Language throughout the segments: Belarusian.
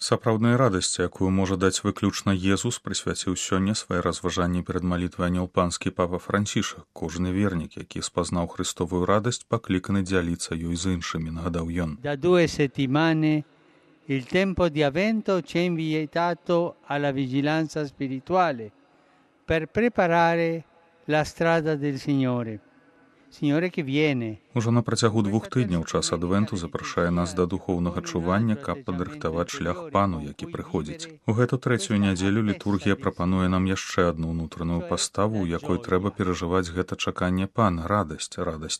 Сапраўднай радасці, якую можа даць выключна Езус, прысвяціў сёння свае разважанні перад малітвай анял панскі папа Францішак. Кожны вернік, які спазнаў Христовую радасць, пакліканы дзяліцца ёй з іншымі, нагадаў ён. Da 2 settimane il tempo di Avvento ci è invitato alla vigilanza spirituale per preparare la strada del Signore. Signore che viene. Ужо на працягу 2 тыдняў час адвенту запрашае нас да духоўнага чування, каб падрыхтаваць шлях пану, які прыходзіць. У гэту 3-ю нядзелю літургія прапануе нам яшчэ адну ўнутраную паставу, у якой трэба перажываць гэта чаканне пана, радасць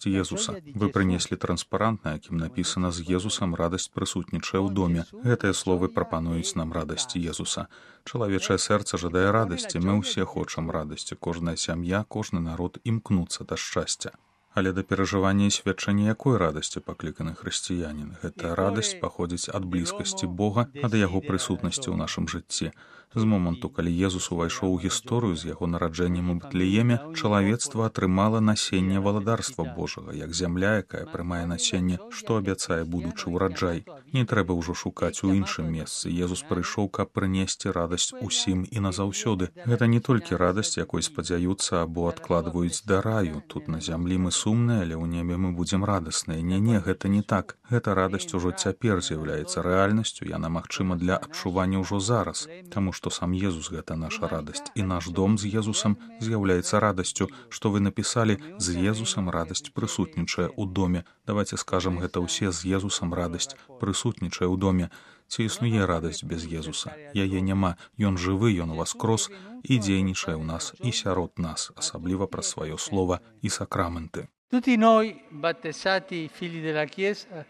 Езуса. Вы прынеслі транспарант, на якім напісана: з Езусам радасць прысутнічае ў доме. Гэтыя словы прапануюць нам радасць Езуса. Чалавечае сэрца жадае радасці, мы ўсе хочам радасці, кожная сям'я, кожны народ імкнуцца да шчасця. Але да перажывання і сведчання якой радасці пакліканы хрысціянін? Гэта радасць паходзіць ад блізкасці Бога, ад яго прысутнасці ў нашым жыцці. З моманту, калі Езус увайшоў у гісторыю з яго нараджэннем у Бэтлееме, чалавецтва атрымала насенне валадарства Божага, як зямля, якая прымае насенне, што абяцае будучы ўраджай. Не трэба ўжо шукаць у іншым месцы. Езус прыйшоў, каб прынесці радасць усім і назаўсёды. Гэта не толькі радасць, якой спадзяюцца або адкладваюць да раю. Тут на зямлі мы сумныя, але ў небе мы будзем радасныя. Не, гэта не так. Гэта радасць ужо цяпер з'яўляецца рэальнасцю, яна магчыма для адчування ўжо зараз, таму што сам Езус гэта наша радасць, і наш дом з Езусам з'яўляецца радасцю, што вы напісалі: з Езусам радасць прысутнічае ў доме. Давайте скажам гэта ўсе: з Езусам радасць прысутнічае ў доме. Ці існуе радасць без Езуса? Яе няма. Ён жывы, ён уваскрос і дзейнічае ў нас і сярод нас, асабліва праз сваё слова і сакрамэнты. Tutti noi, battezzati figli della Chiesa,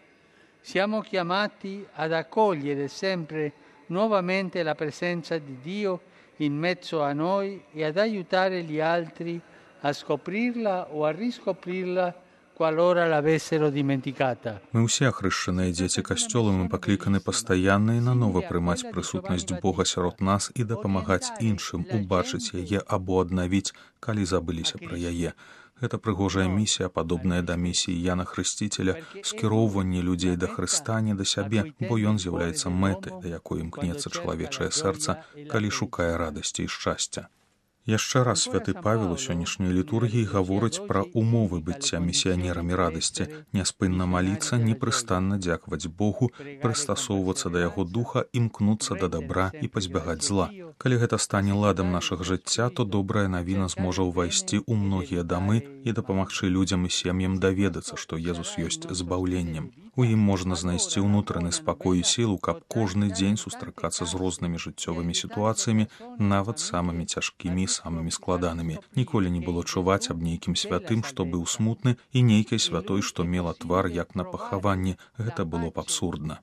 siamo chiamati ad accogliere sempre nuovamente la presenza di Dio in mezzo a noi e ad aiutare gli altri a scoprirla o a riscoprirla qualora l'avessero dimenticata. Мы ўсе ахрышчаныя дзеці касцёла, мы пакліканы пастаянна і нанова прымаць прысутнасць Бога сярод нас і дапамагаць іншым убачыць яе або аднавіць, калі забыліся пра яе. Гэта прыгожая місія, падобная да місіі Яна Хрысціцеля, скіроўванне людзей да Хрыста, не да сябе, бо ён з'яўляецца мэтай, да якой імкнецца чалавечае сэрца, калі шукае радасці і шчасця. Яшчэ раз святы Павел у сённяшняй літургіі гаворыць пра умовы быцця місіянерамі радасці, няспынна маліцца, непрыстанна дзякаваць Богу, прыстасоўвацца да яго духа, імкнуцца да дабра і пазбягаць зла. Калі гэта стане ладам нашага жыцця, то добрая навіна зможа ўвайсці ў многія дамы і дапамагчы людзям і сем'ям даведацца, што Езус ёсць збаўленнем. У ім можна знайсці ўнутраны спакой і сілу, каб кожны дзень сустракацца з рознымі жыццёвымі сітуацыямі, нават самымі цяжкімі, самымі складанымі. Ніколі не было чуваць аб нейкім святым, што быў смутны, і нейкай святой, што мела твар, як на пахаванні. Гэта было б абсурдна.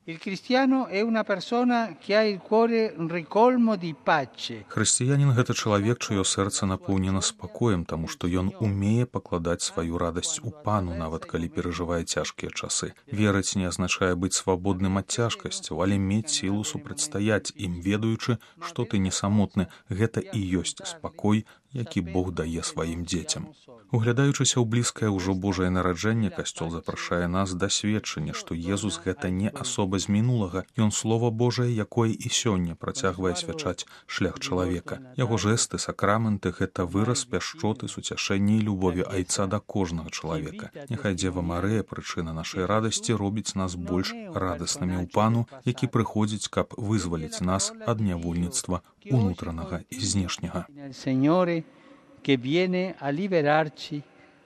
Хрысціянін — гэта чалавек, чыё сэрца напоўнена спакоем, таму што ён умее пакладаць сваю радасць у пану, нават калі перажывае цяжкія часы. Верыць не азначае быць свабодным ад цяжкасцяў, але мець сілу супрацьстаяць ім, ведаючы, што ты не самотны. Гэта і ёсць спакой, які Бог дае сваім дзецям. Углядаючыся ў блізкае ўжо Божае нараджэнне, касцёл запрашае нас да сведчання, што Езус — гэта не асоба з мінулага, ён Слова Божае, якое і сёння працягвае свячаць шлях чалавека. Яго жэсты, сакрамэнты — гэта выраз пяшчоты, суцяшэння і любові Айца да кожнага чалавека. Няхай Дзева Марыя, прычына нашай радасці, робіць нас больш радаснымі ў пану, які прыходзіць, каб вызваліць нас ад нявольніцтва унутранага і знешняга. Che viene a liberarci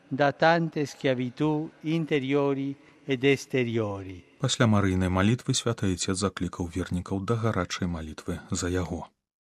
da tante schiavitù interiori ed esteriori. Пасля марыйнай малітвы святы Айцец заклікаў вернікаў да гарачай малітвы за яго.